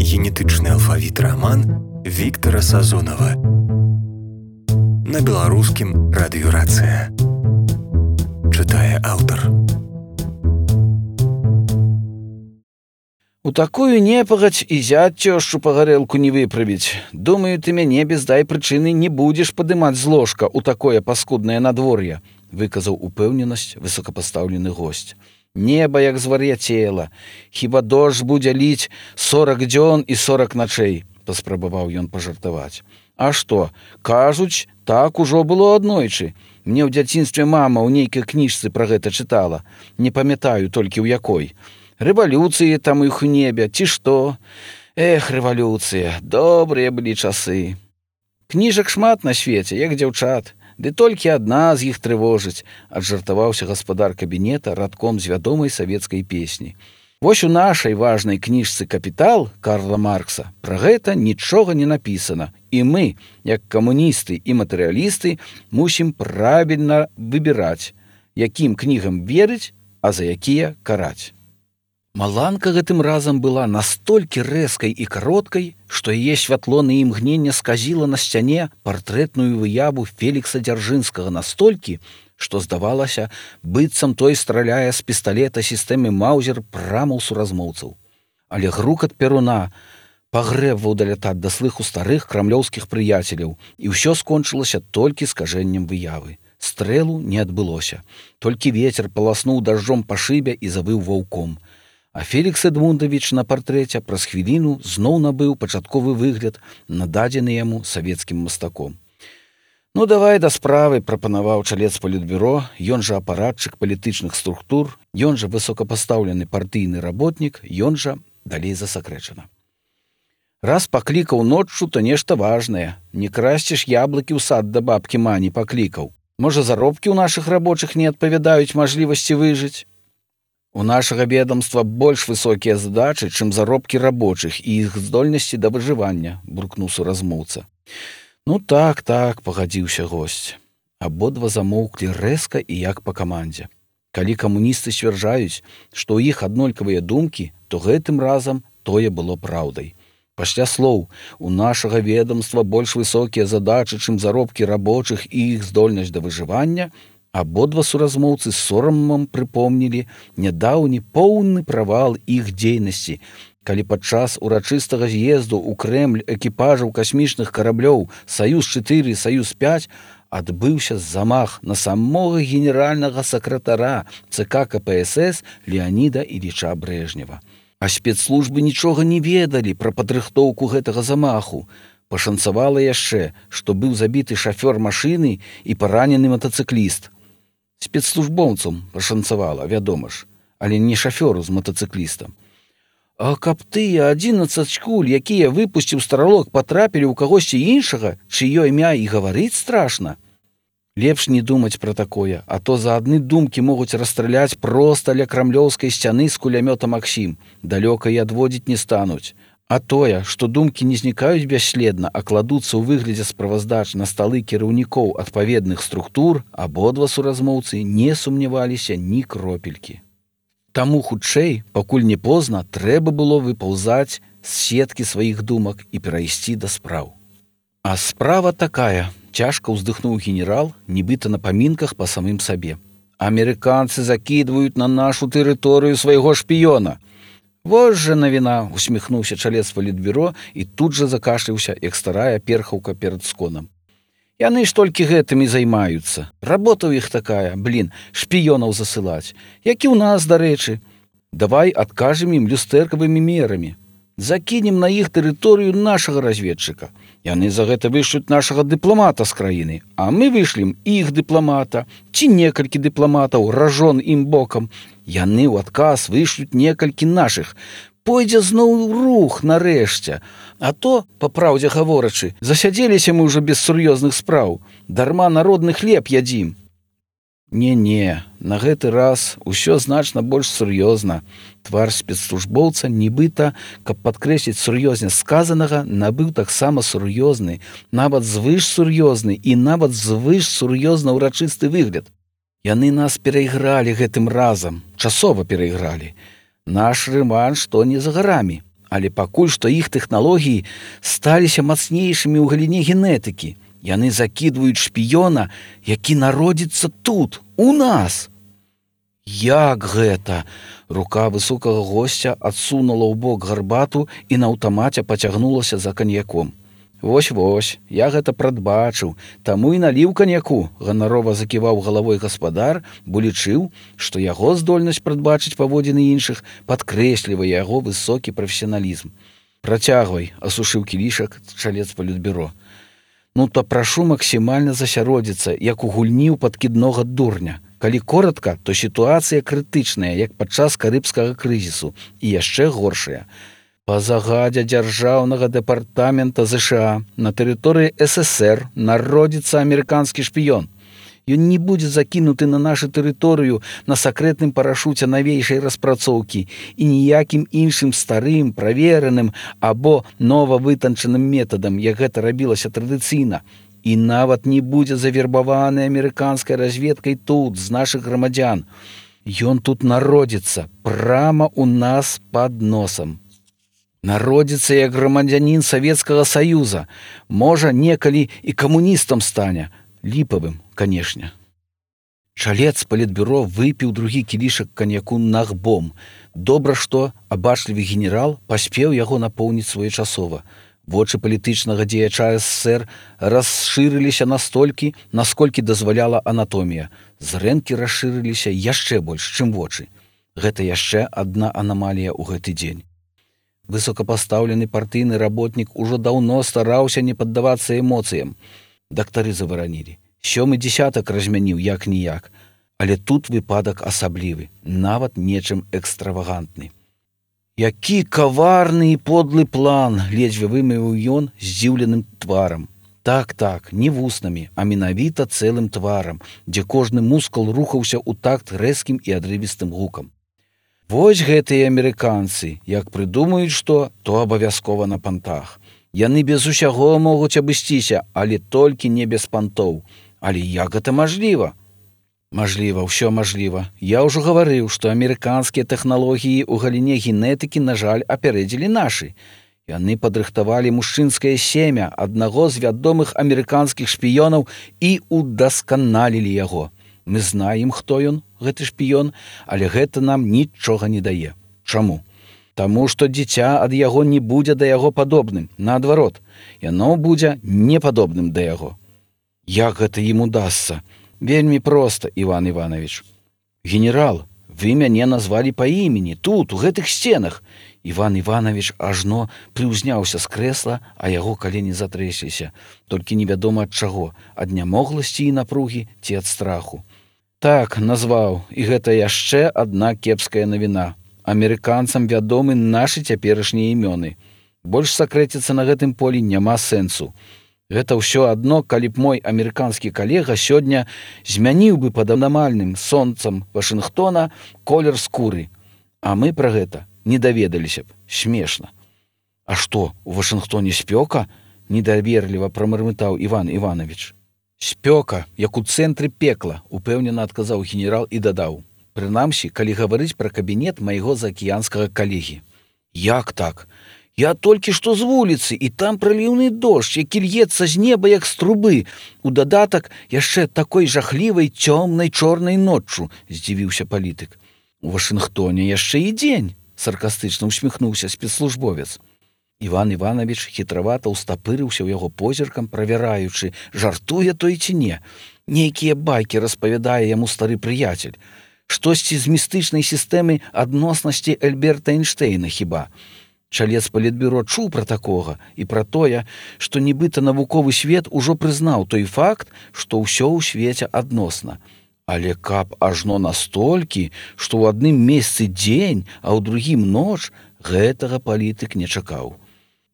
генетычны алфавіт раман Віктара Сазонава. На беларускім радыёрацыя. Чытае аўтар. У такую непагадзь і зять цёшчу па гарэлку не выправіць. Думаю, ты мяне без дай прычыны не будзеш падымаць з ложка ў такое паскуднае надвор'е, выказаў упэўненасць высокапастаўлены госць. Неба як звар'яцела. Хіба дождж будзе ліць 40 дзён і 40 начэй, паспрабаваў ён пажартаваць. А што, кажуць, так ужо было аднойчы. Мне ў дзяцінстве мама ў нейкай кніжцы пра гэта чытала. Не памятаю толькі ў якой. Рэвалюцыі там іх у небе, ці што? Эх, рэвалюцыя, добрыя былі часы. Кніжак шмат на свеце, як дзяўчат. Ды толькі адна з іх трывожыць, аджартаваўся гаспадар кабінета радком з вядомай савецкай песні. Вось у нашай важнай кніжцы «Капітал» Карла Маркса пра гэта нічога не напісана, і мы, як камуністы і матэрыялісты, мусім правільна выбіраць, якім кнігам верыць, а за якія караць. Маланка гэтым разам была настолькі рэзкай і кароткай, што яе святло на імгненне сказіла на сцяне партрэтную выяву Фелікса Дзяржынскага настолькі, што здавалася, быццам той страляе з пісталета сістэмы Маузер прама ў суразмоўцаў. Але грукат перуна пагрэбваў далятаць да слыху старых крамлёўскіх прыяцеляў, і ўсё скончылася толькі скажэннем выявы. Стрэлу не адбылося. Толькі вецер паласнуў дажджом па шыбе і завыў ваўком. А Фелікс Эдмундавіч на партрэце праз хвіліну зноў набыў пачатковы выгляд, нададзены яму савецкім мастаком. Ну, давай да справы, прапанаваў чалец палітбюро, ён жа апаратчык палітычных структур, ён жа высокапастаўлены партыйны работнік, ён жа далей засакрэчана. Раз паклікаў ноччу, то нешта важнае. Не красціш яблыкі ў сад да бабкі Мані паклікаў. Можа, заробкі ў нашых рабочых не адпавядаюць мажлівасці выжыць? У нашага ведомства больш высокія задачы, чым заробкі рабочых і іх здольнасці да выжывання, буркнуў суразмоўца. Ну так, пагадзіўся госць. Абодва замоўклі рэзка і як па камандзе. Калі камуністы сцвярджаюць, што ў іх аднолькавыя думкі, то гэтым разам тое было праўдай. Пасля слоў «у нашага ведомства больш высокія задачы, чым заробкі рабочых і іх здольнасць да выжывання», абодва суразмоўцы з сорамам прыпомнілі нядаўні поўны правал іх дзейнасці, калі падчас урачыстага з'езду ў Крэмль экіпажаў касмічных караблёў «Саюз-4» і «Саюз-5» адбыўся замах на самога генеральнага сакратара ЦК КПСС Леаніда Іліча Брэжнева. А спецслужбы нічога не ведалі пра падрыхтоўку гэтага замаху. Пашанцавала яшчэ, што быў забіты шафёр машыны і паранены матацыкліст. Спецслужбоўцам пашанцавала, вядома ж, але не шафёру з матацыклістам. А каб тыя 11 куль, якія выпусціў Старалок, патрапілі ў кагосьці іншага, чыё імя і гаварыць страшна. Лепш не думаць пра такое, а то за адны думкі могуць расстраляць проста ля крамлёўскай сцяны з кулямёта Максім, далёка і адводзіць не стануць. А тое, што думкі не знікаюць бясследна, а кладуцца ў выглядзе справаздач на сталы кіраўнікоў адпаведных структур, абодва суразмоўцы не сумняваліся ні кропелькі. Таму хутчэй, пакуль не позна, трэба было выпаўзаць з сеткі сваіх думак і перайсці да спраў. А справа такая, цяжка ўздыхнуў генерал, нібыта на памінках па самым сабе. Амерыканцы закідваюць на нашу тэрыторыю свайго шпіёна. Вось жа навіна, усміхнуўся чалец палітбюро і тут жа закашляўся, як старая перхаўка перад сконам. Яны ж толькі гэтым і займаюцца. Работа ў іх такая, шпіёнаў засылаць. Як і ў нас, дарэчы. Давай адкажем ім люстэркавымі мерамі. Закінем на іх тэрыторыю нашага разведчыка. Яны за гэта вышлюць нашага дыпламата з краіны, а мы вышлем іх дыпламата, ці некалькі дыпламатаў ражон ім бокам. Яны ў адказ вышлюць некалькі нашых. Пойдзе зноў рух нарэшце. А то, па праўдзе гаворачы, засядзеліся мы ўжо без сур'ёзных спраў. Дарма народны хлеб ядзім. Не, на гэты раз усё значна больш сур'ёзна. Твар спецслужбоўца, нібыта, каб падкрэсліць сур'ёзнасць сказанага, набыў таксама сур'ёзны, нават звыш сур'ёзны і нават звыш сур'ёзна ўрачысты выгляд. Яны нас перайгралі гэтым разам, часова перайгралі. Наш рэванш то не за гарамі, Але пакуль што іх тэхналогіі сталіся мацнейшымі ў галіне генетыкі. Яны закідваюць шпіёна, які народзіцца тут, у нас. Як гэта? Рука высокага госця адсунула ў бок гарбату і на аўтамаце пацягнулася за каньяком. Вось, я гэта прадбачыў, таму і наліў каньяку, ганарова заківаў галавой гаспадар, бо лічыў, што яго здольнасць прадбачыць паводзіны іншых падкрэслівае яго высокі прафесіяналізм. Працягвай, асушыў кілішак чалец палітбюро. Ну то прашу максімальна засяродзіцца, як у гульні ў падкіднога дурня. Калі коратка, то сітуацыя крытычная, як падчас карыбскага крызісу, і яшчэ горшая. Па загадзе дзяржаўнага дэпартамента ЗША на тэрыторыі ССР народзіцца амерыканскі шпіён. Ён не будзе закінуты на нашу тэрыторыю на сакрэтным парашуце навейшай распрацоўкі і ніякім іншым старым, правераным або новавытанчаным метадам, як гэта рабілася традыцыйна. І нават не будзе завербаваны амерыканскай разведкай тут, з нашых грамадзян. Ён тут народзіцца прама ў нас пад носам. Народзіцца як грамадзянін Савецкага Саюза. Можа, некалі і камуністам стане. Ліпавым, канешне. Чалец палітбюро выпіў другі кілішак каньяку нагбом. Добра, што абачлівы генерал паспеў яго напоўніць своечасова. Вочы палітычнага дзеяча СССР расшырыліся настолькі, насколькі дазваляла анатомія. Зрэнкі расшырыліся яшчэ больш, чым вочы. Гэта яшчэ адна анамалія ў гэты дзень. Высокапастаўлены партыйны работнік ужо даўно стараўся не паддавацца эмоцыям. Дактары заваранілі. 7 дзесятак размяніў як-ніяк. Але тут выпадак асаблівы, нават нечым экстравагантны. Які каварны і подлы план, ледзьве вымавіў ён здзіўленым тварам. Так, не вуснамі, а менавіта цэлым тварам, дзе кожны мускул рухаўся ў такт рэзкім і адрывістым гукам. Вось гэтыя амерыканцы, як прыдумаюць што, то абавязкова на пантах. Яны без усяго могуць абысціся, але толькі не без пантоў. Але як гэта мажліва? Мажліва, ўсё мажліва. Я ўжо гаварыў, што амерыканскія тэхналогіі ў галіне генетыкі, на жаль, апярэдзілі нашы. Яны падрыхтавалі мужчынскае семя аднаго з вядомых амерыканскіх шпіёнаў і удасканалілі яго. Мы знаем, хто ён, гэты шпіён, але гэта нам нічога не дае. Чаму? Таму, што дзіця ад яго не будзе да яго падобным. Наадварот, яно будзе непадобным да яго. Як гэта ім удасца? Вельмі проста, Іван Іванович. Генерал, вы мяне назвалі па імені, тут, у гэтых сценах. Іван Іванович ажно прыўзняўся з крэсла, а яго калені затрэсліся. Толькі невядома ад чаго, ад нямогласці і напругі ці ад страху. Так, назваў, і гэта яшчэ адна кепская навіна. Амерыканцам вядомы нашы цяперашнія імёны. Больш сакрэціцца на гэтым полі няма сэнсу. Гэта ўсё адно, калі б мой амерыканскі калега сёння змяніў бы пад анамальным сонцам Вашынгтона колер скуры. А мы пра гэта не даведаліся б. Смешна. А што, у Вашынгтоне спёка? Недаверліва прамармытаў Іван Іванович. Спёка, як у цэнтры пекла, упэўнена адказаў генерал і дадаў. Прынамсі, калі гаварыць пра кабінет майго заакіянскага калегі. Як так? Я толькі што з вуліцы, і там праліўны дождж, які льецца з неба, як з трубы. У дадатак яшчэ такой жахлівай цёмнай чорнай ноччу, здзівіўся палітык. У Вашынгтоне яшчэ і дзень, саркастычна усміхнуўся спецслужбовец. Іван Іванович хітравата ўстапырыўся ў яго позіркам, правяраючы, жартуе той ці не. Нейкія байкі распавядае яму стары прыяцель. Штосьці з містычнай сістэмы адноснасці Альберта Эйнштэйна хіба. Чалец палітбюро чуў пра такога і пра тое, што нібыта навуковы свет ужо прызнаў той факт, што ўсё ў свеце адносна. Але каб ажно настолькі, што ў адным месцы дзень, а ў другім ноч, гэтага палітык не чакаў.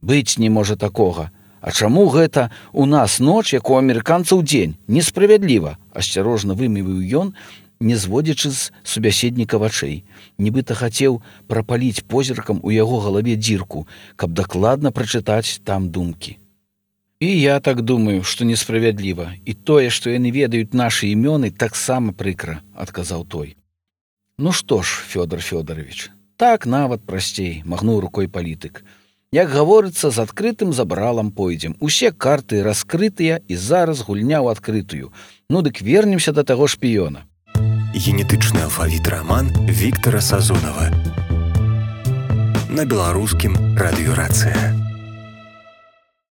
Быць не можа такога. А чаму гэта у нас ноч, як у амерыканцаў дзень? Несправядліва, асцярожна вымавіў ён, не зводзячы з субяседніка вачэй. Нібыта хацеў прапаліць позіркам у яго галаве дзірку, каб дакладна прачытаць там думкі. І я так думаю, што несправядліва. І тое, што яны ведаюць нашы імёны, таксама прыкра, адказаў той. Ну што ж, Фёдор Фёдорович, Так нават прасцей, махнуў рукой палітык. Як гаворыцца, з адкрытым забралам пойдзем. Усе карты раскрытыя і зараз гульня ў адкрытую. Ну дык вернемся да таго шпіёна. Генетычны алфавіт раман Віктара Сазонава. На беларускім радыёрацыя.